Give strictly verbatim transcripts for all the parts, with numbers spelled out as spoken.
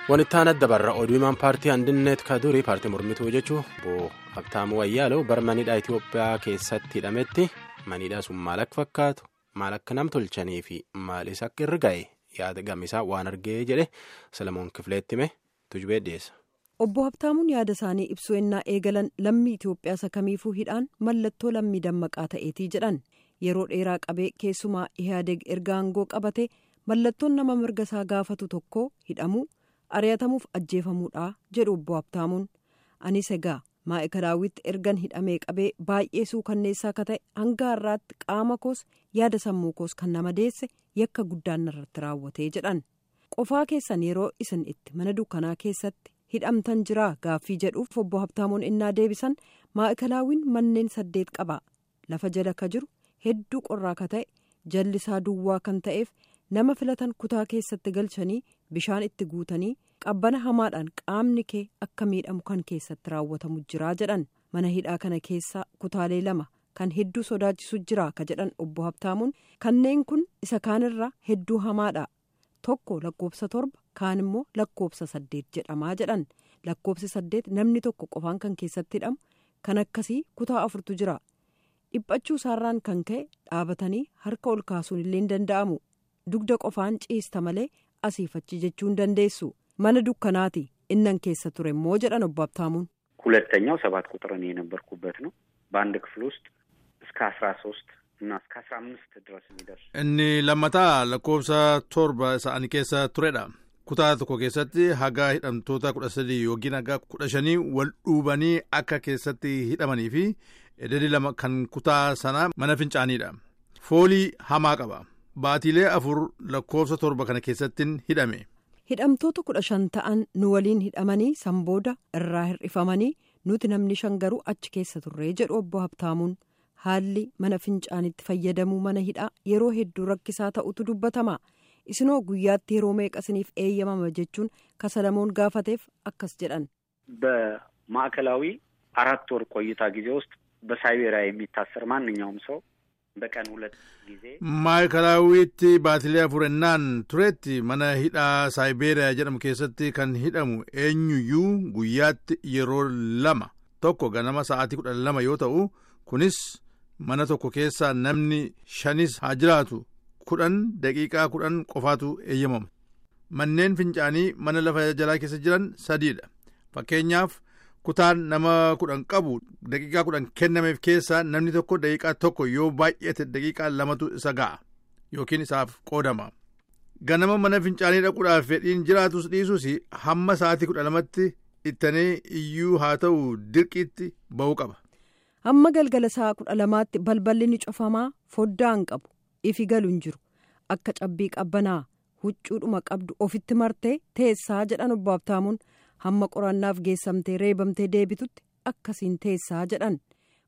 Wanti adda barra oduu himaan paartii Andinet ka durii paartii mormituu jechuun obbo Habtaamuu Wayyaalew bara maniidhaa Itoophiyaa keessatti hidhametti maniidhaa sun maal akka fakkaatu maal akka nam tolchanii fi maalis akka irra ga'e yaada gamisaa waan argee jedhe Salamoon Kifileetti hime tujubee dhiyeessa. Obbo Habtaamuun yaada isaanii ibsuu ennaa eegalan lammii Itoophiyaa isa kamiifuu hidhaan mallattoo lammii dammaqaa ta'eetii jedhan yeroo dheeraa qabee keessumaa Ihaadeg erga aangoo qabate mallattoon nama mirga isaa gaafatu tokko hidhamuu. Ari'atamuuf ajjeefamuudha jedhu obbo Habtaamuun. Anis egaa maa'ikalaawwitti ergan hidhamee qabee baay'ee suukanneessaa akka ta'e hanga har'aatti qaama koos yaada sammuu koos kan nama deesse yakka guddaan irratti raawwatee jedhan. Qofaa keessan yeroo isin itti mana dukkanaa keessatti hidhamtan jiraa gaaffii jedhuuf obbo Habtaamuun innaa deebisan maa'ikalaawwiin manneen saddeet qaba. Lafa jala ka jiru hedduu qorraa ka ta'e jallisaa duwwaa kan ta'eef nama filatan kutaa keessatti galchanii bishaan itti guutanii qabbana hamaadhaan qaamni kee akka miidhamu kan keessatti raawwatamu jira jedhan. Mana hidhaa kana keessa kutaalee lama kan hedduu sodaachisu jira ka jedhan obbo Habtaamuun kanneen kun isa kaanirra hedduu hamaadha. Tokko lakkoofsa torba kaan immoo lakkoofsa saddeet jedhamaa jedhan. Lakkoofsi saddeet namni tokko qofaan kan keessatti hidhamu kan akkasii kutaa afurtu jira. Dhiphachuu isaarraan kan ka'e dhaabatanii harka ol kaasuun illee hin danda'amu. Dugda qofaan ciista malee asiifachi jechuu hin dandeessu. Mana dukkanaati innan keessa ture immoo jedhan obbo Habtaamuun. ሁለተኛው ሰባት ቁጥር እኔ የነበርኩበት ነው። በአንድ ክፍል ውስጥ እስከ አስራ ሶስት እና እስከ አስራ አምስት ድረስ የሚደርስ Inni lammataa lakkoofsa torba isa ani keessa turedha. Kutaa tokko keessatti haga hidhamtoota kudha sadii yookiin haga kudha shanii wal dhuubanii akka keessatti hidhamanii fi ededi lama kan kutaa sanaa mana fincaaniidha. Foolii hamaa qaba. Baatiilee afur lakkoofsa torba kana keessattiin hidhame. Hidhamtoota kudha shan ta'an nu waliin hidhamanii sanbooda irraa hir'ifamanii nuti namni shan garuu achi keessa turree jedhu obbo Habtaamuun. Haalli mana fincaanitti fayyadamuu mana hidhaa yeroo hedduu rakkisaa ta'utu dubbatama. Isinoo guyyaatti yeroo meeqa isiniif eeyyamama jechuun kasalamoon gaafateef akkas jedhan. በማዕከላዊ አራት ወር ቆይታ ጊዜ ውስጥ በሳይቤሪያ የሚታሰር ማንኛውም ሰው በቀን ሁለት ጊዜ Maayikalaawwiitti baatilee afur ennaan turetti mana hidhaa Saayibeeriyaa jedhamu keessatti kan hidhamu eenyuyyuu guyyaatti yeroo lama tokko ganama sa'aatii kudha lama yoo ta'u kunis mana tokko keessaa namni shanis haa jiraatu kudhan daqiiqaa kudhan qofaatu eeyyamama. Manneen fincaanii mana lafa jalaa keessa jiran sadiidha. Fakkeenyaaf kutaan nama kudhan qabu daqiiqaa kudhan kennameef keessaa namni tokko daqiiqaa tokko yoo baay'ate daqiiqaa lamatu isa ga'a yookiin isaaf qoodama. Ganama mana fincaanii dhaquudhaaf fedhiin jiraatus dhiisus hamma sa'aatii kudha lamatti ittanee iyyuu haa ta'u dirqiitti ba'uu qaba. Hamma galgala sa'a kudha lamaatti balballi ni cufamaa foddaa hin qabu ifi galu hin jiru akka cabbii qabbanaa huccuudhuma qabdu ofitti martee teessaa jedhan obbo Habtaamuun. Hamma qorannaaf geessamtee reebamtee deebitutti akkasiin teessaa jedhan.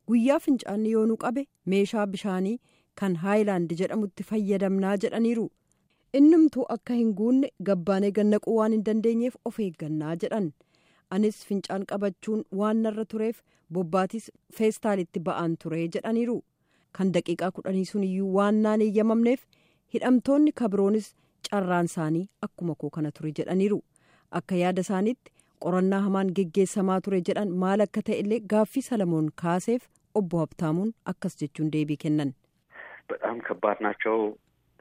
Guyyaa fincaanni yoonuu qabe meeshaa bishaanii kan haayilaand jedhamutti fayyadamnaa jedhaniiru. Innumtuu akka hin guunne gabbaanee gannaquu waan hin dandeenyeef of eeggannaa jedhan. Anis fincaan qabachuun waan narra tureef bobbaatis feestaalitti ba'aan ture jedhaniiru. Kan daqiiqaa kudhanii sun iyyuu waan naan eeyyamamneef hidhamtoonni kabiroonis carraan isaanii akkuma koo kana ture jedhaniiru. Akka yaada isaaniitti qorannaa hamaan geggeessamaa ture jedhan maal akka ta'e illee gaaffii Salamoon kaaseef obbo Habtaamuun akkas jechuun deebii kennan. በጣም ከባድ ናቸው።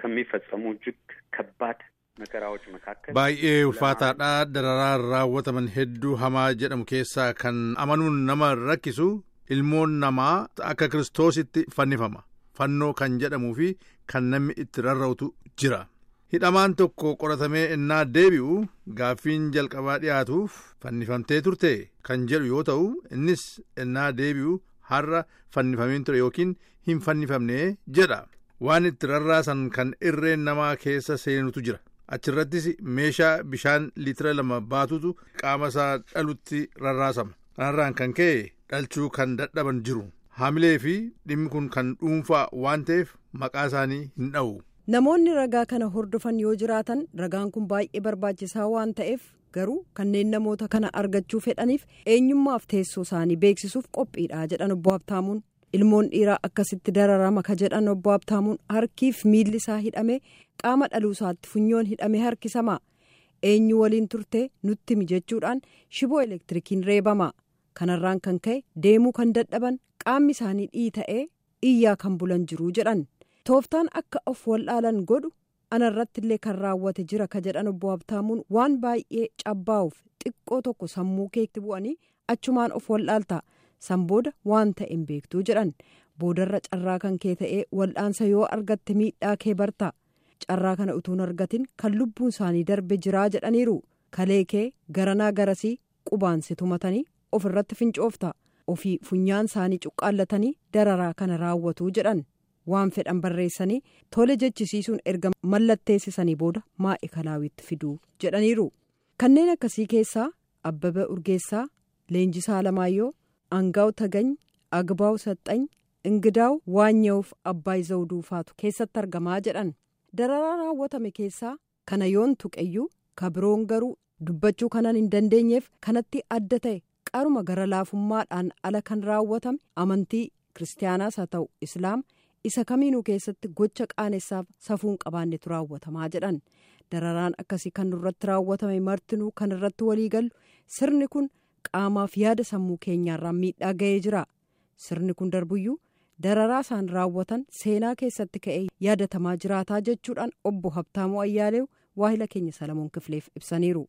ከሚፈጸሙ እጅግ ከባድ መከራዎች መካከል Baay'ee ulfaataadha. Dararaa raawwataman hedduu hamaa jedhamu keessaa kan amanuun nama rakkisu ilmoon namaa akka Kiristoositti fannifama. Fannoo kan jedhamuu fi kan namni itti rarra'utu jira. Hidhamaan tokko qoratamee innaa deebi'u gaaffiin jalqabaa dhiyaatuuf fannifamtee turte kan jedhu yoo ta'u innis innaa deebi'u har'a fannifameen ture yookiin hin fannifamne jedha. Waan itti rarraasan kan irreen namaa keessa seenutu jira. Achirrattis meeshaa bishaan liitira lama baatutu qaama isaa dhalutti rarraasama. Kanarraan kan ka'e dhalchuu kan dadhaban jiru. Haamilee fi dhimmi kun kan dhuunfaa waan ta'eef maqaa isaanii hin dha'u. Namoonni ragaa kana hordofan yoo jiraatan ragaan kun baay'ee barbaachisaa waan ta'eef garuu kanneen namoota kana argachuu fedhaniif eenyummaaf teessoo isaanii beeksisuuf qophiidha jedhan obbo Habtaamuun. Ilmoon dhiiraa akkasitti dararama ka jedhan obbo Habtaamuun harkiif miilli isaa hidhame qaama dhaluu isaatti funyoon hidhame harkisama. Eenyu waliin turtee nutti himi jechuudhaan shiboo elektirikiin reebama. Kanarraan kan ka'e deemuu kan dadhaban qaamni isaanii dhiita'ee iyyaa kan bulan jiru jedhan. Tooftaan akka of wallaalan godhu anarratti illee kan raawwate jira ka jedhan obbo Habtaamuun waan baay'ee cabbaa'uuf xiqqoo tokko sammuu keetti bu'anii achumaan of wallaalta. San booda waan ta'e hin beektuu jedhan. Boodarra carraa kan kee ta'ee wal'aansa yoo argatte miidhaa kee barta. Carraa kana utuun argatin kan lubbuun isaanii darbe jiraa jedhaniiru. Kalee kee garanaa garasii qubaan si tumatanii ofirratti fincoofta. Ofii funyaan isaanii cuqqaallatanii dararaa kana raawwatu jedhan. Waan fedhan barreessanii tole jechisiisuun erga mallatteessisanii booda maa'ikalaawwitti fiduu jedhaniiru. Kanneen akkasii keessaa Abbabee Urgeessaa, Leenjisaa Alamaayyoo, Angaaw Tagany, Agbaaw Saxxany, Ingidaaw Waanya'uuf Abbaay Zawuduu faatu keessatti argamaa jedhan. Dararaa raawwatame keessaa kana yoon tuqeyyuu kabiroon garuu dubbachuu kanan hin dandeenyeef kanatti adda ta'e qaruma gara laafummaadhaan ala kan raawwatame amantii kiristaanaas haa ta'u islaam isa kamiinuu keessatti gocha qaanessaaf safuun qabaannetu raawwatamaa jedhan. Dararaan akkasii kan nurratti raawwatame martinuu kan irratti waliigallu sirni kun qaamaaf yaada sammuu keenyaarraa miidhaa ga'ee jira. Sirni kun darbuyyuu dararaa isaan raawwatan seenaa keessatti ka'ee yaadatamaa jiraataa jechuudhaan obbo Habtaamuu Ayyaaleew waahila keenya Salamoon Kifileef ibsaniiru.